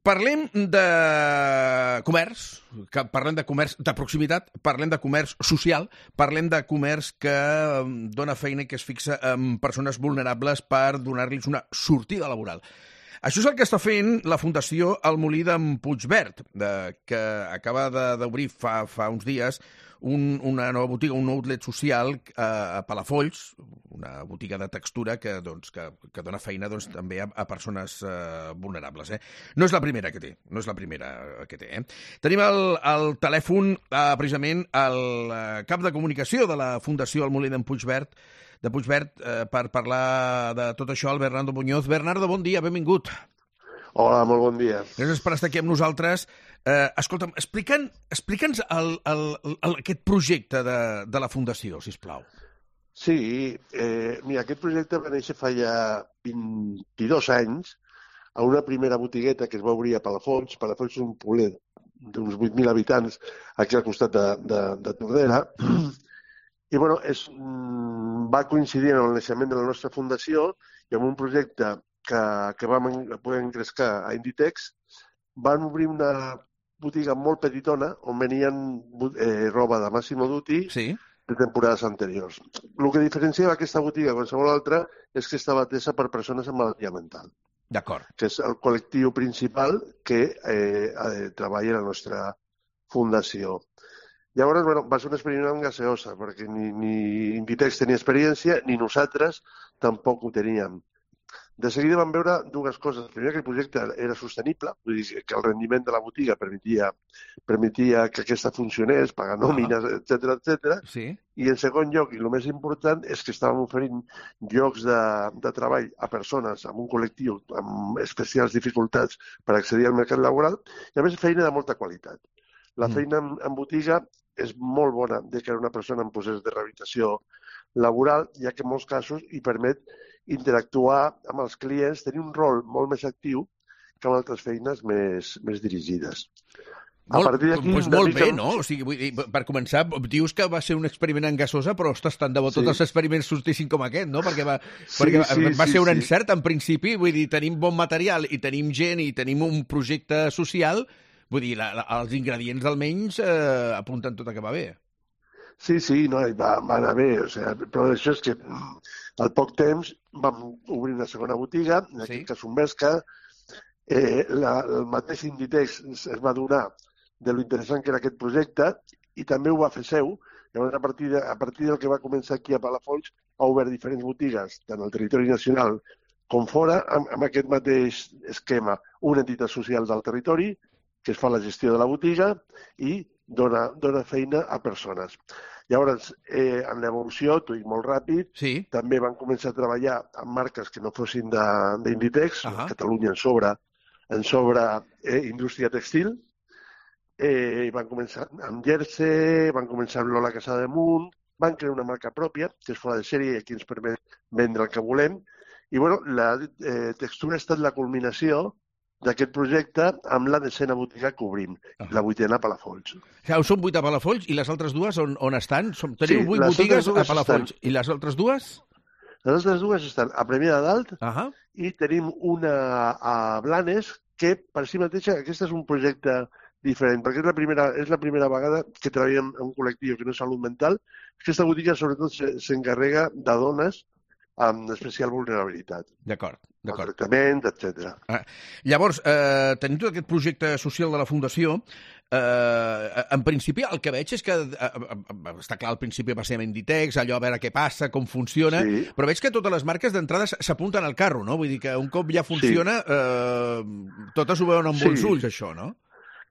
Parlem de comerç, parlem de comerç de proximitat, parlem de comerç social, parlem de comerç que dona feina i que es fixa en persones vulnerables per donar-los una sortida laboral. Això és el que està fent la Fundació El Molí d'en Puigverd, que acaba d'obrir fa uns dies una nova botiga, un outlet social a Palafolls, una botiga de textura que dona feina també a persones vulnerables. No és la primera que té, no és la primera que té. Tenim al telèfon precisament el cap de comunicació de la Fundació El Molí d'en Puigverd, per parlar de tot això, el Bernardo Muñoz. Bernardo, bon dia, benvingut. Hola, molt bon dia. Gràcies per estar aquí amb nosaltres. Escolta'm, explica'ns aquest projecte de la Fundació, sisplau. Sí, mira, aquest projecte va néixer fa ja 22 anys a una primera botigueta que es va obrir a Palafolls. Palafolls és un poblet d'uns 8.000 habitants aquí al costat de Tordera. I bueno, va coincidir amb el naixement de la nostra fundació i amb un projecte que vam poder engrescar a Inditex. Van obrir una botiga molt petitona on venien roba de Massimo Dutti de temporades anteriors. El que diferenciava aquesta botiga de qualsevol altra és que estava atesa per persones amb malaltia mental. D'acord. Que és el col·lectiu principal que treballa a la nostra fundació. Llavors, va ser un experiment gaseosa, perquè ni Inditex tenia experiència, ni nosaltres tampoc ho teníem. De seguida vam veure dues coses. Primer, que el projecte era sostenible, vull dir que el rendiment de la botiga permetia que aquesta funcionés, pagar nòmines, etc. Sí. I en segon lloc, i el més important, és que estàvem oferint llocs de treball a persones amb un col·lectiu amb especials dificultats per accedir al mercat laboral i, a més, feina de molta qualitat. La feina en botiga és molt bona de que una persona en procés de rehabilitació laboral, ja que en molts casos hi permet interactuar amb els clients, tenir un rol molt més actiu que amb altres feines més dirigides. Molt bé, no? O sigui, vull dir, per començar, dius que va ser un experiment en gasosa, però, ostres, tant de bo tots els experiments sortissin com aquest, no? Perquè va ser un encert, en principi, vull dir, tenim bon material i tenim gent i tenim un projecte social, vull dir, els ingredients almenys apunten tot a que va bé. Sí, no, va anar bé, o sigui, però això és que al poc temps vam obrir una segona botiga, en aquest cas un Vesca, el mateix Inditex es va donar de lo interessant que era aquest projecte i també ho va fer seu. Llavors, a partir del que va començar aquí a Palafolls, ha obert diferents botigues, tant al territori nacional com fora, amb aquest mateix esquema. Una entitat social del territori, que es fa la gestió de la botiga i dona feina a persones. Llavors, en l'evolució, t'ho dic molt ràpid, també van començar a treballar amb marques que no fossin d'Inditex, Catalunya en sobre indústria textil, i van començar amb Jersey, van començar amb Lola Casademunt, van crear una marca pròpia, que és fora de sèrie i aquí ens permet vendre el que volem, i bueno, la textura ha estat la culminació d'aquest projecte amb la desena botiga que obrim, la vuitena a Palafolls. Són 8 a Palafolls i les altres dues on estan? Teniu 8 botigues a Palafolls. I les altres dues? Les altres dues estan a Premià de Dalt i tenim una a Blanes que per si mateixa, aquest és un projecte diferent, perquè és la primera vegada que treballem en un col·lectiu que no és salut mental. Aquesta botiga sobretot s'encarrega de dones amb especial vulnerabilitat. D'acord. El tractament, etc. Llavors, tenim tot aquest projecte social de la Fundació. En principi, el que veig és que, està clar, al principi va ser amb Inditex, allò a veure què passa, com funciona, però veig que totes les marques d'entrada s'apunten al carro, no? Vull dir que un cop ja funciona, totes ho veuen amb bons ulls, això, no?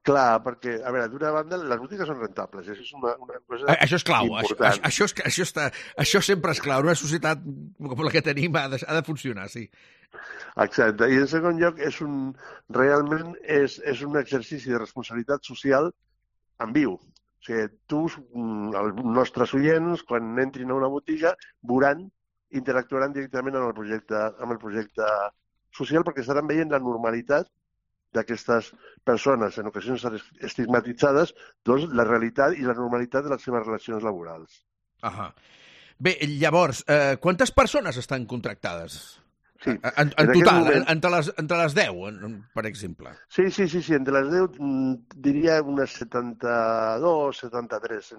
Clar, perquè, a veure, d'una banda, les botigues són rentables, això és una cosa això és clau, important. Això sempre és clau, una societat com la que tenim ha de funcionar, sí. Exacte, i en segon lloc realment és un exercici de responsabilitat social en viu. O sigui, els nostres oients, quan entrin a una botiga, interactuaran directament amb el projecte social perquè estaran veient la normalitat d'aquestes persones, en ocasions estigmatitzades, doncs la realitat i la normalitat de les seves relacions laborals. Bé, llavors, quantes persones estan contractades? Sí. En total, moment... entre les 10, per exemple. Sí, entre les 10 diria unes 72, 73.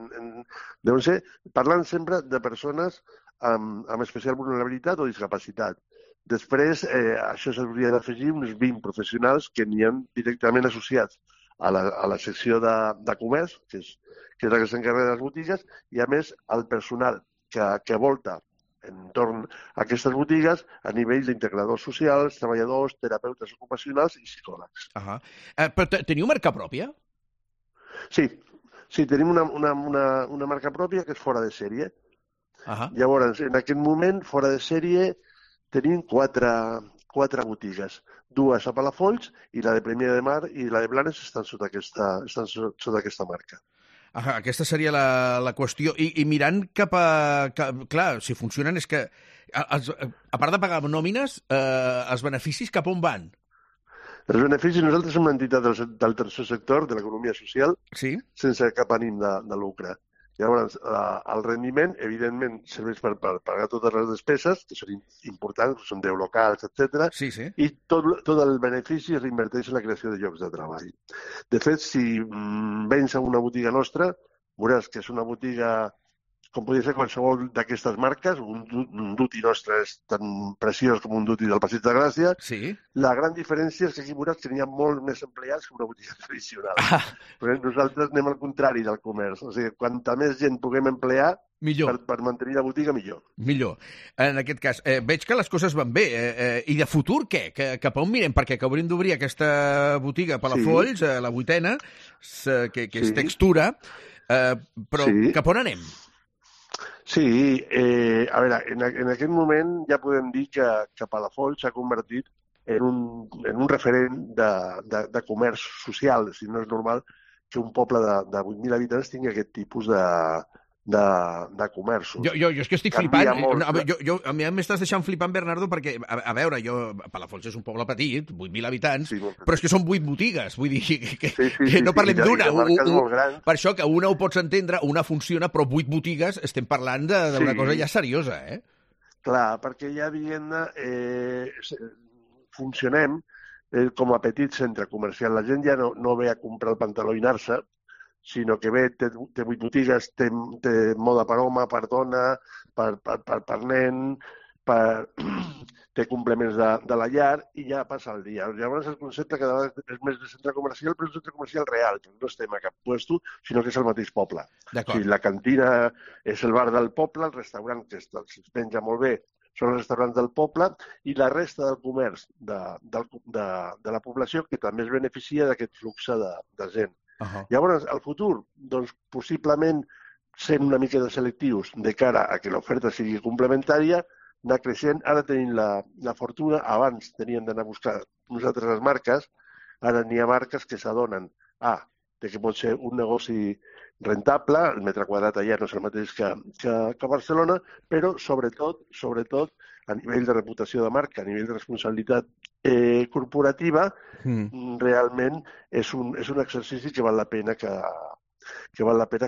Deuen ser, parlant sempre de persones amb especial vulnerabilitat o discapacitat. Després, això s'hauria d'afegir uns 20 professionals que n'hi ha directament associats a la secció de comerç, que és la que s'encarrega de les botigues, i a més el personal que volta entorn a aquestes botigues a nivell d'integradors socials, treballadors, terapeutes ocupacionals i psicòlegs. Però teniu marca pròpia? Sí, tenim una marca pròpia que és fora de sèrie. Llavors, en aquest moment, fora de sèrie, tenim quatre botigues. Dues a Palafolls i la de Premià de Mar i la de Blanes estan sota aquesta marca. Aquesta seria la qüestió. I mirant cap a... Clar, si funcionen és que, a part de pagar nòmines, els beneficis cap on van? Els beneficis, nosaltres som una entitat del tercer sector, de l'economia social, sense cap ànim de lucre. Llavors, el rendiment, evidentment, serveix per pagar totes les despeses, que són importants, són 10 locals, etc. I tot el benefici es reinverteix en la creació de llocs de treball. De fet, si vens a una botiga nostra, veuràs que és una botiga, com podria ser qualsevol d'aquestes marques, un duty nostre és tan preciós com un duty del Passeig de Gràcia. La gran diferència és que aquí veuràs que n'hi ha molt més empleats que una botiga tradicional. Perquè nosaltres anem al contrari del comerç. O sigui, quanta més gent puguem emplear, per mantenir la botiga, millor. Millor. En aquest cas, veig que les coses van bé. I de futur, què? Cap a on mirem? Perquè hauríem d'obrir aquesta botiga a Palafolls, la 8ª, que és textura, però cap on anem? Sí, a veure, en aquest moment ja podem dir que Palafolls s'ha convertit en un referent de comerç social. Si no és normal que un poble de 8.000 habitants tingui aquest tipus de comerços. Jo és que estic flipant. A mi m'estàs deixant flipant, Bernardo, perquè, a veure, Palafolls és un poble petit, 8.000 habitants, però és que són 8 botigues, vull dir que no parlem d'una. Per això que una ho pots entendre, una funciona, però 8 botigues estem parlant d'una cosa ja seriosa, eh? Clar, perquè ja, diguem-ne, funcionem com a petit centre comercial. La gent ja no ve a comprar el pantaló i anar-se, sinó que ve, té 8 botigues, té moda per home, per dona, per nen, té complements de la llar i ja passa el dia. Llavors el concepte cada vegada és més de centre comercial, però és un centre comercial real, no estem a cap puesto, sinó que és el mateix poble. O sigui, la cantina és el bar del poble, el restaurant que es menja molt bé són els restaurants del poble i la resta del comerç de la població que també es beneficia d'aquest flux de gent. Llavors, al futur, doncs, possiblement sent una mica de selectius de cara a que l'oferta sigui complementària, anar creixent. Ara tenim la fortuna, abans teníem d'anar a buscar nosaltres les marques, ara n'hi ha marques que s'adonen de que pot ser un negoci rentable, el metre quadrat allà no és el mateix que a Barcelona, però sobretot a nivell de reputació de marca, a nivell de responsabilitat corporativa, realment és un exercici que val la pena que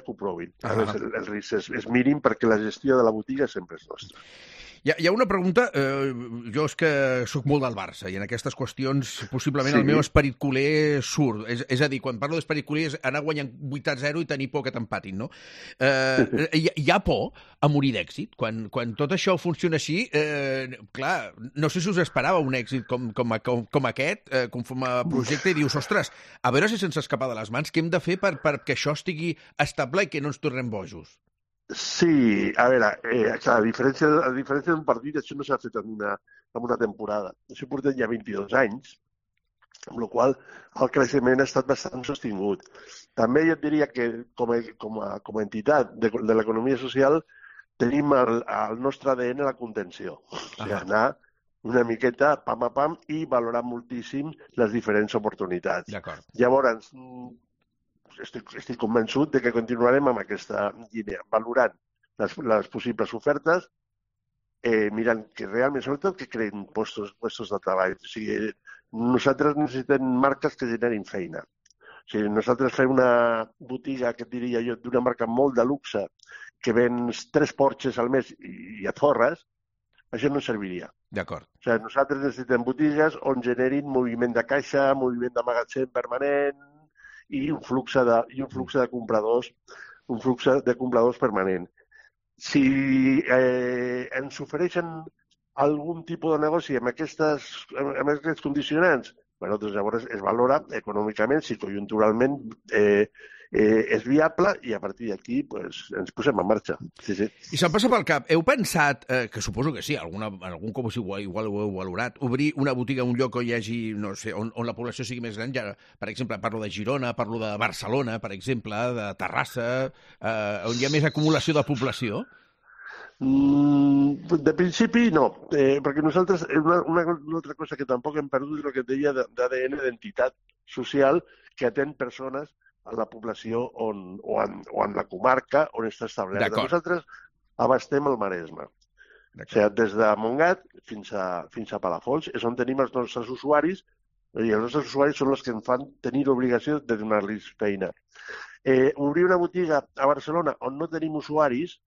ho provin. El risc és mínim perquè la gestió de la botiga sempre és nostra. Hi ha una pregunta, jo és que sóc molt del Barça i en aquestes qüestions possiblement el meu esperit culer surt. És a dir, quan parlo d'esperit culer és anar guanyant 8-0 i tenir por que t'empatin, no? Hi ha por a morir d'èxit? Quan tot això funciona així, clar, no sé si us esperava un èxit com aquest, com a projecte, i dius, ostres, a veure si se'ns escapa de les mans, què hem de fer perquè això estigui estable i que no ens tornem bojos? Sí, a veure, clar, a diferència d'un partit, això no s'ha fet en una temporada. Això portem ja 22 anys, amb la qual el creixement ha estat bastant sostingut. També jo et diria que com a entitat de l'economia social tenim el nostre ADN la contenció. O sigui, anar una miqueta pam a pam i valorar moltíssim les diferents oportunitats. Llavors, estic convençut de que continuarem amb aquesta línia, valorant les possibles ofertes, mirant que realment, sobretot, que creen puestos de treball. O sigui, nosaltres necessitem marques que generin feina. O sigui, nosaltres fem una botiga, que et diria jo, d'una marca molt de luxe, que vens 3 Porsches al mes i et forres, això no ens serviria. D'acord. O sigui, nosaltres necessitem botigues on generin moviment de caixa, moviment de magatzem permanent i un flux de compradors permanent. Si ens ofereixen algun tipus de negoci amb aquests condicionants, bueno, doncs llavors es valora econòmicament, si conjunturalment és viable i a partir d'aquí pues, ens posem en marxa. Sí, sí. I se'm passa pel cap, heu pensat, que suposo que sí, algun cop igual ho heu valorat, obrir una botiga en un lloc on hi hagi, no sé, on la població sigui més gran? Ja, per exemple, parlo de Girona, parlo de Barcelona, per exemple, de Terrassa, on hi ha més acumulació de població? De principi, no, perquè nosaltres, una altra cosa que tampoc hem perdut és el que et deia d'ADN d'entitat social que atén persones a la població o en la comarca on està establerta. Nosaltres abastem el Maresme. O sigui, des de Montgat fins a Palafolls és on tenim els nostres usuaris i els nostres usuaris són els que ens fan tenir l'obligació de donar-los feina. Obrir una botiga a Barcelona on no tenim usuaris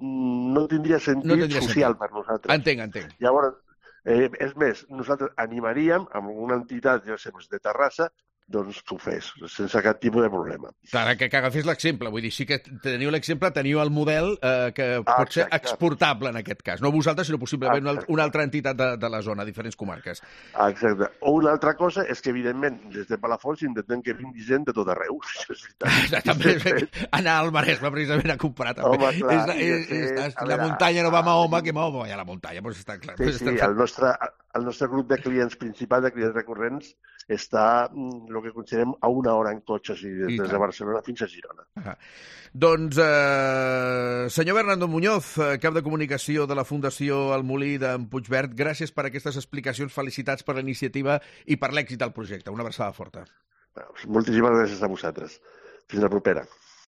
no tindria sentit social per nosaltres. Entenc. Llavors, és més, nosaltres animaríem amb una entitat, ja sé, de Terrassa, doncs que ho fes, sense cap tipus de problema. Clar, que agafés l'exemple, vull dir, sí que teniu l'exemple, teniu el model que pot ser exportable en aquest cas, no vosaltres, sinó possiblement una altra entitat de la zona, diferents comarques. Exacte. O una altra cosa és que, evidentment, des de Palafolls intentem que vingui gent de tot arreu. També anar al Maresme, precisament, a comprar, també. Home, clar. Si la muntanya no va a Mahoma, que Mahoma vaya a la muntanya, doncs està clar. Sí, el nostre grup de clients principal, de clients recurrents, està el que considerem a una hora en cotxe, des de Barcelona fins a Girona. Doncs, senyor Bernardo Muñoz, cap de comunicació de la Fundació El Molí d'en Puigverd, gràcies per aquestes explicacions, felicitats per la iniciativa i per l'èxit del projecte. Una abraçada forta. Moltíssimes gràcies a vosaltres. Fins la propera.